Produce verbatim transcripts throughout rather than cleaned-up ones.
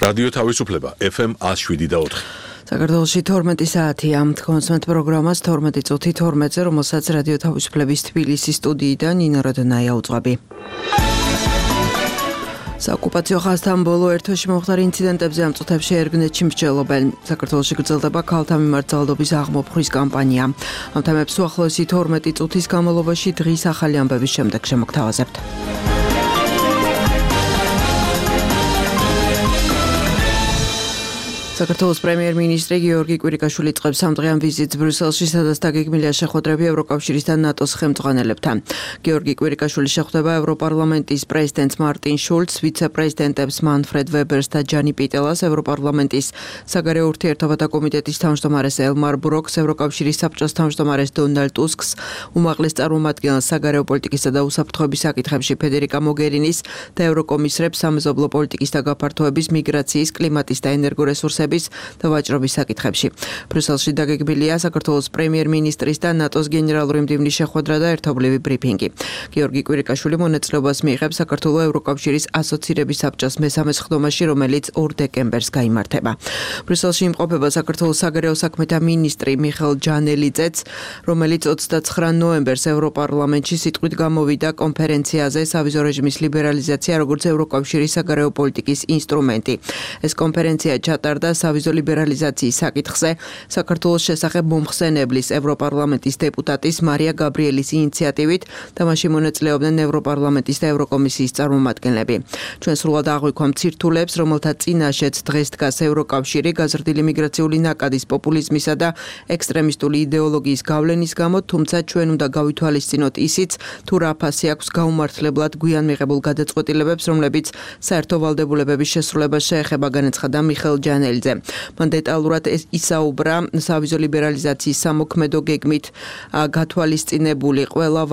რადიო თავისუფლება ეფ ემ one oh seven და four. საქართველოში თორმეტი საათია. კონსმეთ პროგრამას თორმეტი წუთი თორმეტზე, რომელსაც რადიო თავისუფლების თბილისის სტუდიიდან ნინო როდონაია უძღვები. საოკუპაციო ხაზთან ბოლო ერთოში მომხდარი ინციდენტებზე ამ წუთებში ერგნეთში მსჯელობენ. საქართველოში გრძელდება ქალთა მიმართ ძალადობის აღმოფხვის კამპანია. ამ თემებს უახლოესი თორმეტი წუთის განმავლობაში დღის ახალი ამბების შემდეგ შემოგთავაზებთ. საქართველოს პრემიერ-მინისტრი გიორგი კვირიკაშვილი წლებს სამდღიან ვიზიტს ბრიუსელში, სადაც დაგეგმილია შეხვედრები ევროკავშირის და ნატოს ხელმძღვანელებთან. გიორგი კვირიკაშვილი შეხვდება ევროპარლამენტის პრეზიდენტს მარტინ შულცს, ვიცე-პრეზიდენტებს მანფრედ ვებერს და ჯანი პიტელას, ევროპარლამენტის საგარეო ურთიერთობათა კომიტეტის თავმჯდომარეს ელმარ ბროკს, ევროკავშირის საბჭოს თავმჯდომარეს დონალდ ტუსკს, უმაღლეს წარმომადგენელს საგარეო პოლიტიკისა და უსაფრთხოების საკითხებში ფედერიკა მოგერინის და ევროკომისრებს სამეზობლო პოლიტიკის და გაფართოების, მიგრაციის, კლიმატის და ენერგორესურსების და ვაჭრობის საკითხებში. ბრიუსელში დაგეგმილია საქართველოს პრემიერ-მინისტრის და ნატოს გენერალური მდივნის შეხვედრა და ერთობლივი ბრიფინგი. გიორგი კვირიკაშვილი მონაწილეობას მიიღებს საქართველოს ევროკავშირის ასოცირების საბჭოს მესამე სხდომაში, რომელიც ორ დეკემბერს გაიმართება. ბრიუსელში იმყოფება საქართველოს საგარეო საქმეთა მინისტრი მიხეილ ჯანელიძეც, რომელიც ოცდაცხრა ნოემბერს ევროპარლამენტში სიტყვით გამოვიდა კონფერენციაზე სავიზო რეჟიმის ლიბერალიზაცია როგორც ევროკავშირის საგარეო პოლიტიკის ინსტრუმენტი. ეს კონფერენცია ჩატარდა სავიზო ლიბერალიზაციის საკითხზე საქართველოს შესახებ მომხსენებლის ევროპარლამენტის დეპუტატის მარია გაბრიელის ინიციატივით და მასში მონაწილეობდნენ ევროპარლამენტის და ევროკომისიის წარმომადგენლები. ჩვენ სრულად აღვიქვამ ცირთულებს, რომელთა წინაშეც დღეს დგას ევროკავშირი გაზრდილი მიგრაციული ნაკადის, პოპულიზმისა და ექსტრემისტული იდეოლოგიის გავლენის გამო, თუმცა ჩვენ უნდა გავითვალისწინოთ ისიც, თუ რა ფასი აქვს გაუმართლებლად გვიან მიღებულ გადაწყვეტილებებს, რომლებიც საერთო ვალდებულებების შესრულებას შეეხება, განაცხადა მიხეილ ჯანელიძე. მან დეტალურად ისაუბრა სავიზო ლიბერალიზაციის სამოქმედო გეგმით გათვალისწინებული ყველა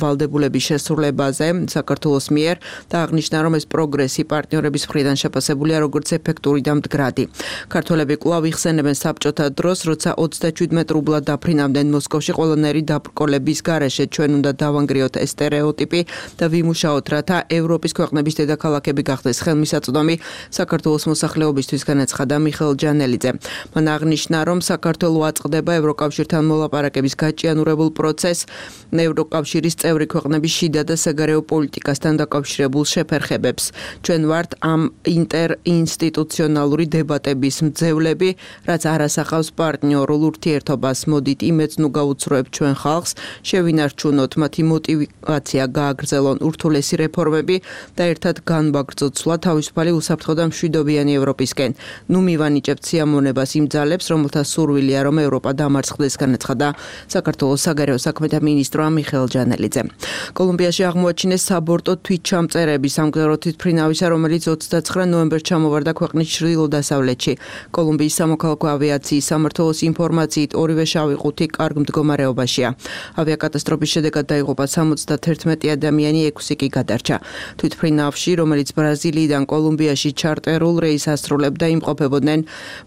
ვალდებულების შესრულებაზე საქართველოს მიერ და აღნიშნა, რომ ეს პროგრესი პარტნიორების მხრიდან შეფასებულია როგორც ეფექტური და მდგრადი. ქართველები კვლავ იხსენებენ საბჭოთა დროს, როცა ოცდაშვიდ რუბლად დაფრინავდნენ მოსკოვში ყველანაირი დაბრკოლების გარეშე. ჩვენ უნდა დავანგრიოთ ეს სტერეოტიპი და ვიმუშაოთ, რათა ევროპის ქვეყნების დედაქალაქები გახდეს ხელმისაწვდომი საქართველოს მოსახლეობისთვის, განაცხადა მიხეილ ჯანელიძე. მან აღნიშნა, რომ საქართველო აწყდება ევროკავშირთან მოლაპარაკების გაჭიანურებულ პროცესს, ევროკავშირის წევრი ქვეყნების შიდა და საგარეო პოლიტიკასთან დაკავშირებულ შეფერხებებს. ჩვენ ვართ ამ ინტერინსტიტუციონალური დებატების მძევლები, რაც არ ასახავს პარტნიორულ ურთიერთობას. მოდით იმედს ნუ გაუცროებთ ჩვენ ხალხს, შევინარჩუნოთ მათი მოტივაცია, გააგრძელონ ურთულესი რეფორმები და ერთად განვაგრძოთ სვლა თავისუფალი, უსაფრთხო და მშვიდობიანი ევროპისკენ. ნუ მივანიჭებთ სიამოვნებას იმ ძალებს, რომელთა სურვილია, რომ ევროპა დამარცხდეს, განაცხადა საქართველოს საგარეო საქმეთა მინისტრმა მიხეილ ჯანელიძე. კოლუმბიაში აღმოაჩინეს საბორტო თვითჩამწერები სამგზავრო თვითმფრინავისა, რომელიც ოცდაცხრა ნოემბერს ჩამოვარდა ქვეყნის ჩრდილო-დასავლეთში. კოლუმბიის სამოქალაქო ავიაციის სამმართველოს ინფორმაციით, ორივე შავი ყუთი კარგ მდგომარეობაშია. ავიაკატასტროფის შედეგად დაიღუპა სამოცდათერთმეტი ადამიანი, ექვსი კი გადარჩა. თვითმფრინავში, რომელიც ბრაზილიიდან კოლუმბიაში ჩარტერულ რეისს ასრულებდა, იმყოფებოდნენ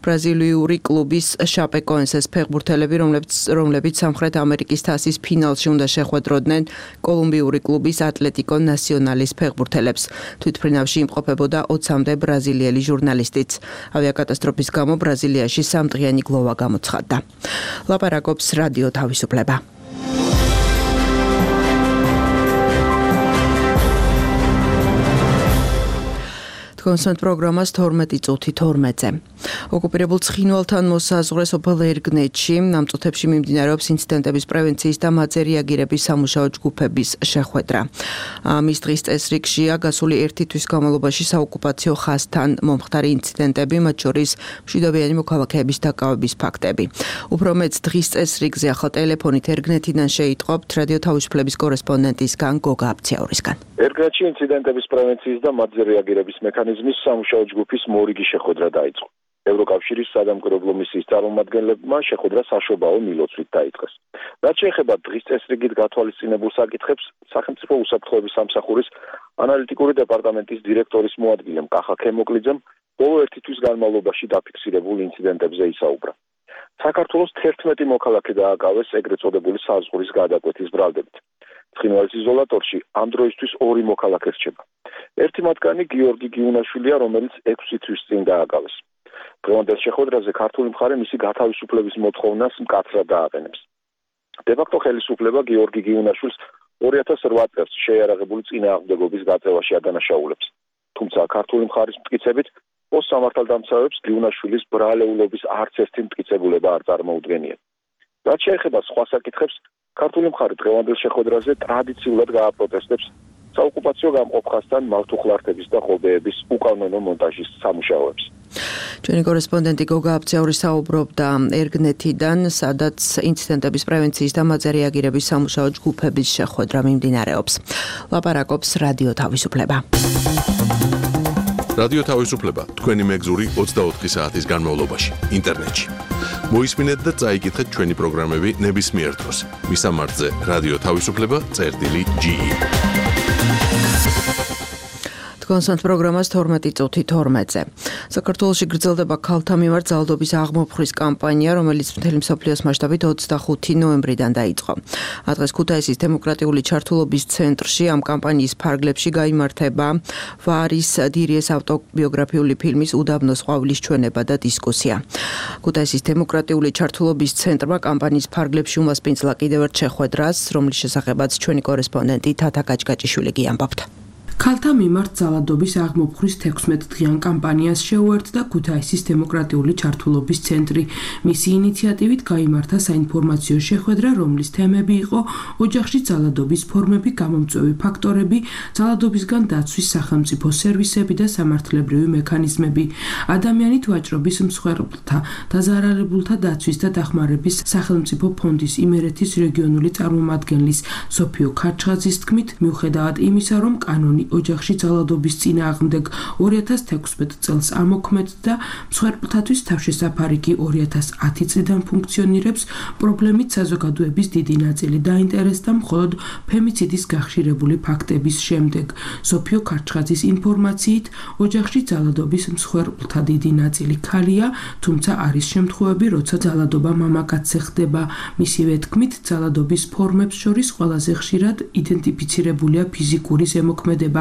ბრაზილიური კლუბის შაპეკოენსეს ფეხბურთელები, რომლებიც რომლებიც სამხრეთ ამერიკის თასის ფინალში უნდა შეხვედროდნენ კოლუმბიური კლუბის ატლეტიკო ნასიონალის ფეხბურთელებს. თვითმფრინავში იმყოფებოდა ოცამდე ბრაზილიელი ჟურნალისტიც. ავიაკატასტროფის გამო ბრაზილიაში სამდღიანი გლოვა გამოცხადდა. ლაპარაკობს რადიო თავისუფლება. კონსმეთ პროგრამას თორმეტი წუთი თორმეტზე. ოკუპირებულ ცხინვალთან მოსაზღვრე სოფელ ერგნეთში ამ წუთებში მიმდინარეობს ინციდენტების პრევენციის და მათზე რეაგირების სამუშაო ჯგუფების შეხვედრა. მის დღის წესრიგშია გასული ერთი თვის განმავლობაში საოკუპაციო ხაზთან მომხდარი ინციდენტები, მათ შორის მშვიდობიანი მოქალაქეების დაკავების ფაქტები. უფრო მეც დღის წესრიგზე ახალ ტელეფონით ერგნეთიდან შეიტყობთ რადიო თავისუფლების კორესპონდენტისგან გოგა აბციაურისგან. ერგნეთში ინციდენტების პრევენციის და მათზე რეაგირების მექანიზმის სამუშაო ჯგუფის მორიგი შეხვედრა დაიწყო. ევროკავშირის სადამკვირვებლო მისიის წარმომადგენლებმა შეხვედრა საშობაო მილოცვით დაიწყეს. რაც შეეხება დღის წესრიგით გათვალისწინებულ საკითხებს, სახელმწიფო უსაფრთხოების სამსახურის ანალიტიკური დეპარტამენტის დირექტორის მოადგილემ კახა ქემოკლიძემ ბოლო ერთი თვის განმავლობაში დაფიქსირებულ ინციდენტებზე ისაუბრა. საქართველოს თერთმეტი მოქალაქე დააკავეს ეგრეთ წოდებული საზღვრის გადაკვეთის ბრალდებით. ცხინვალის იზოლატორში ამ დროისთვის ორი მოქალაქე რჩება. ერთი მათგანი გიორგი გიუნაშვილია, რომელიც ექვსი თვის წინ დააკავეს. დღევანდელ შეხვედრაზე ქართული მხარე მისი გათავისუფლების მოთხოვნას მკაცრად დააყენებს. დე-ფაქტო ხელისუფლება გიორგი გიუნაშვილს ორი ათას რვა წელს შეიარაღებული წინააღმდეგობის გაწევაში ადანაშაულებს. თუმცა ქართული მხარის მტკიცებით პოსტსამართალდამცავებს გიუნაშვილის ბრალეულობის არც ერთი მტკიცებულება არ წარმოუდგენია. რაც შეეხება სხვა საკითხებს, ქართული მხარი დღევანდელ შეხვედრაზე ტრადიციულად გააპროტესტებს საოკუპაციო გამყოფხასთან მავთუხლართების და ღობეების უკანონო მონტაჟის სამუშაოებს. ჩვენი კორესპონდენტი გოგა აბცაური საუბრობდა ერგნეთიდან, სადაც ინციდენტების პრევენციის და მათზე რეაგირების სამუშაო ჯგუფების შეხვედრა მიმდინარეობს. ლაპარაკობს რადიო თავისუფლება. რადიო თავისუფლება თქვენი მეგზური ოცდაოთხი საათის განმავლობაში ინტერნეტში. მოისმინეთ და წაიკითხეთ ჩვენი პროგრამები ნებისმიერ დროს. მისამართზე რადიო თავისუფლება წერტილი ჯი ი. კონსანტ პროგრამას თორმეტი წუთი თორმეტზე. საქართველოში გრძელდება ქალთა მიმართ ძალადობის აღმოფხვის კამპანია, რომელიც მთელი მსოფლიოს მასშტაბით ოცდახუთი ნოემბრიდან დაიწყო. დღეს ქუთაისის დემოკრატიული ჩართულობის ცენტრში ამ კამპანიის ფარგლებში გაიმართება ვარის დირიეს ავტობიოგრაფიული ფილმის უდაბნოს ყვავილის ჩვენება და დისკუსია. ქუთაისის დემოკრატიული ჩართულობის ცენტრმა კამპანიის ფარგლებში უმასპინძლა კიდევ ერთ შეხვედრას, რომლის შესახებაც ჩვენი კორესპონდენტი თათა გაჭგაჭიშვილი გიამბობთ. ქალთა მიმართ ძალადობის აღმოფხვის თექვსმეტდღიან კამპანიას შეუერთდა ქუთაისის დემოკრატიული ჩართულობის ცენტრი. მისი ინიციატივით გაიმართა საინფორმაციო შეხვედრა, რომლის თემები იყო ოჯახში ძალადობის ფორმები, გამომწვევი ფაქტორები, ძალადობისგან დაცვის სახელმწიფო სერვისები და სამართლებრივი მექანიზმები, ადამიანით ვაჭრობის მსხვერპლთა, დაზარალებულთა დაცვის და დახმარების სახელმწიფო ფონდის იმერეთის რეგიონული წარმომადგენლის სოფიო ქარჩხაძის თქმით, მიუხედავად იმისა, რომ კანონი ოჯახში ძალადობის წინააღმდეგ ორი ათას თექვსმეტ წელს ამოქმედდა, მსხვერპლთათვის თავშესაფარი კი ორი ათას ათი წლიდან ფუნქციონირებს, პრობლემით საზოგადოების დიდი ნაწილი დაინტერესდა მხოლოდ ფემიციდის გახშირებული ფაქტების შემდეგ. სოფიო ქარჩხაძის ინფორმაციით, ოჯახში ძალადობის მსხვერპლთა დიდი ნაწილი ქალია, თუმცა არის შემთხვევები, როცა ძალადობა მამაკაცზე ხდება. მისივე თქმით, ძალადობის ფორმებს შორის ყველაზე ხშირად იდენტიფიცირებულია ფიზიკური ზემოქმედება,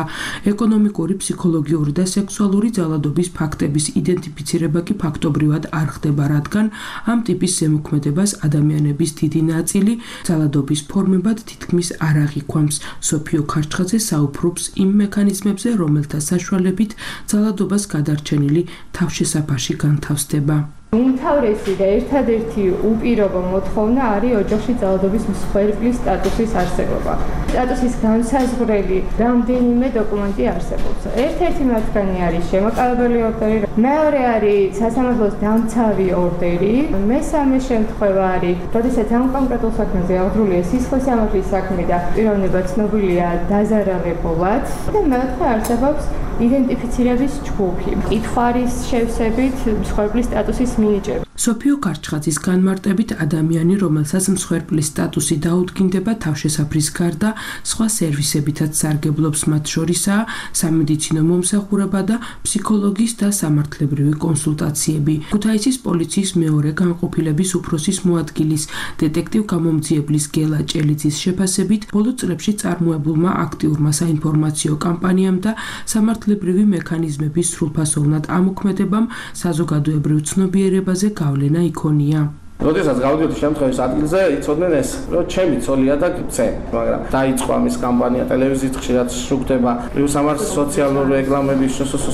ეკონომიკური, ფსიქოლოგიური და სექსუალური ძალადობის ფაქტების იდენტიფიცირება კი ფაქტობრივად არ ხდება, რადგან ამ ტიპის ზემოქმედებას ადამიანების დიდი ნაწილი ძალადობის ფორმებად თითქმის არ აღიქვამს. სოფიო ქარჩხაძე საუბრობს იმ მექანიზმებზე, რომელთა საშუალებით ძალადობას გადარჩენილი თავშესაფარში განთავსდება. უმთავრესი და ერთადერთი უპირობო მოთხოვნა არის ოჯახში ძალადობის მსხვერპლის სტატუსის არსებობა. სტატუსის განსაზღვრელი რამდენიმე დოკუმენტი არსებობს. ერთ-ერთი მათგანი არის შემოყალიბებული ორდერი, მეორე არის სასამართლოს დამცავი ორდერი, მესამე შემთხვევა არის, როდესაც ამ კონკრეტულ საქმეზე აღძრულია სისხლის სამართლის საქმე და პიროვნება ცნობილია დაზარალებულად და მეოთხე არსებობს იდენტიფიცირების ჯგუფი. კითხვის შევსებით მსხვერპლის სტატუსის მინიჭება. სოფიო ქარჩხაძის განმარტებით, ადამიანი, რომელსაც მსხვერპლის სტატუსი დაუდგინდება, თავშესაფრის გარდა სხვა სერვისებითაც სარგებლობს, მათ შორისაა სამედიცინო მომსახურება და ფსიქოლოგის და სამართლებრივი კონსულტაციები. ქუთაისის პოლიციის მეორე განყოფილების უფროსის მოადგილის დეტექტივ გამომძიებლის გელა ჭელიძის შეფასებით, ბოლო წლებში წარმოებულმა აქტიურმა საინფორმაციო კამპანიამ და სამართლებრივი მექანიზმების სრულფასოვნად ამოქმედებამ საზოგადოებრივ ცნობიერებაზე გავლენა იქონია. როდესაც გავდიოდი შემთხვევის ადგილზე, იცოდნენ ეს, რომ ჩემი ცოლია და გწე, მაგრამ დაიწყო ამის კამპანია, ტელევიზიით ხშირად შუქდება, სამართლის სოციალური რეკლამები,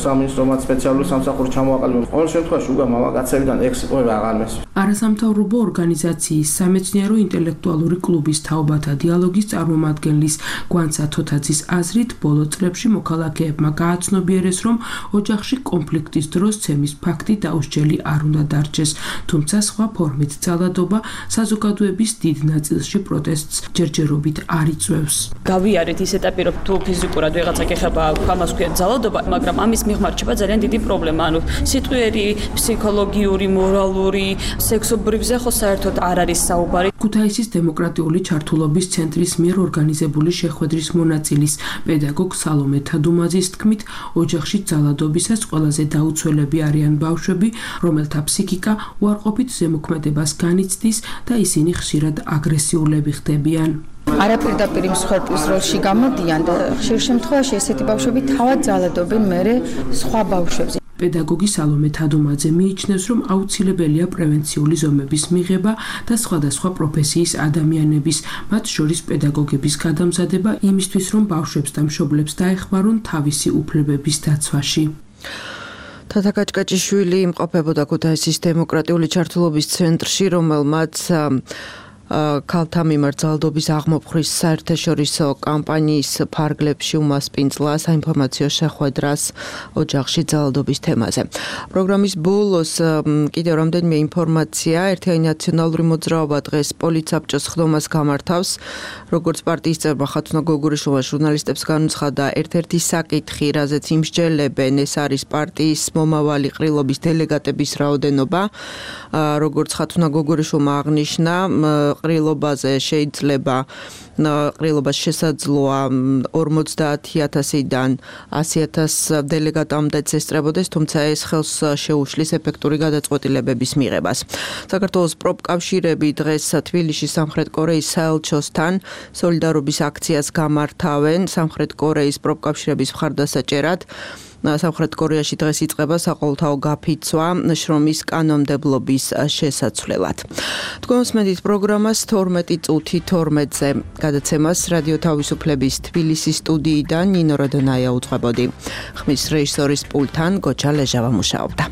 სამინისტრომაც სპეციალური სამსახური ჩამოაყალიბა. ყოველ შემთხვევაში უგა მამაკაცებიდან ექვსი ყובה აღარ მესვი. არასამთავრობო ორგანიზაციის სამეცნიერო ინტელექტუალური კლუბის თაობათა დიალოგის წარმომადგენლის გვანცა თოთაძის აზრით, ბოლო წლებში მოქალაქეებმა გააცნობიერეს, რომ ოჯახში კონფლიქტის დროს ცემის ფაქტი დაუსჯელი არ უნდა დარჩეს, თუმცა სხვა ფორმით ძალადობა საზოგადოების დიდ ნაწილში პროტესტს ჯერჯერობით არ იწვევს. გავიარეთ ის ეტაპი, რომ თუ ფიზიკურად ვიღაცა გეხება ამას ქვია ძალადობა, მაგრამ ამის მიღმა რჩება ძალიან დიდი პრობლემა. ანუ სიტყვიერი, ფსიქოლოგიური, მორალური, სექსობრივზე ხო საერთოდ არ არის საუბარი. ქუთაისის დემოკრატიული ჩართულობის ცენტრის მიერ ორგანიზებული შეხვედრის მონაწილის პედაგოგ სალომე თადუმაძის თქმით, ოჯახში ძალადობისას ყველაზე დაუცველები არიან ბავშვები, რომელთა ფსიქიკა უარყოფით ზემოქმედებას განიცდის და ისინი ხშირად აგრესიულები ხდებიან. არაპირდაპირ მსხვერპლის როლში გამოდიან და ხშირ შემთხვევაში ესეთი ბავშვები თავად ძალადობენ მერე სხვა ბავშვებს. პედაგოგი სალომე თადუმაძე მიიჩნევს, რომ აუცილებელია პრევენციული ზომების მიღება და სხვადასხვა პროფესიის ადამიანების, მათ შორის პედაგოგების გადამზადება იმისთვის, რომ ბავშვებს და მშობლებს დაეხმარონ თავისი უფლებების დაცვაში. თათა კაჭკაჭიშვილი იმყოფებოდა ქუთაისის დემოკრატიული ჩართულობის ცენტრში, რომელმაც ქალთა მიმართ ძალადობის აღმოფხვრის საერთაშორისო კამპანიის ფარგლებში უმასპინძლა საინფორმაციო შეხვედრას ოჯახში ძალადობის თემაზე. პროგრამის ბოლოს კიდევ რამდენიმე ინფორმაცია, ერთიანი ნაციონალური მოძრაობა დღეს პოლიცსაბჭოს ხდომას გამართავს, როგორც პარტიის წევრმა ხათუნა გოგურიშვილმა ჟურნალისტებს განუცხადა, ერთ-ერთი საკითხი, რაზეც იმსჯელებენ, ეს არის პარტიის მომავალი ყრილობის დელეგატების რაოდენობა, როგორც ხათუნა გოგურიშვილმა აღნიშნა, ყრილობაზე შეიძლება ყრილობას შესაძლოა ორმოცდაათი ათასიდან ასი ათას დელეგატამდეც ესწრებოდეს, თუმცა ეს ხელს შეუშლის ეფექტური გადაწყვეტილებების მიღებას. საქართველოს პროფკავშირები დღეს თბილისში სამხრეთ კორეის საელჩოსთან სოლიდარობის აქციას გამართავენ. სამხრეთ კორეის პროფკავშირების მხარდასაჭერად სამხრეთ კორეაში დღეს იწყება საყოველთაო გაფიცვა შრომის კანონმდებლობის შესაცვლელად. თქვენს მედით პროგრამას თორმეტი წუთი თორმეტზე გადაცემას რადიო თავისუფლების თბილისის სტუდიიდან ნინო როდონაია უძღვებოდი. ხმის რეჟისორის პულტთან გოჩა ლეჟავა მუშაობდა.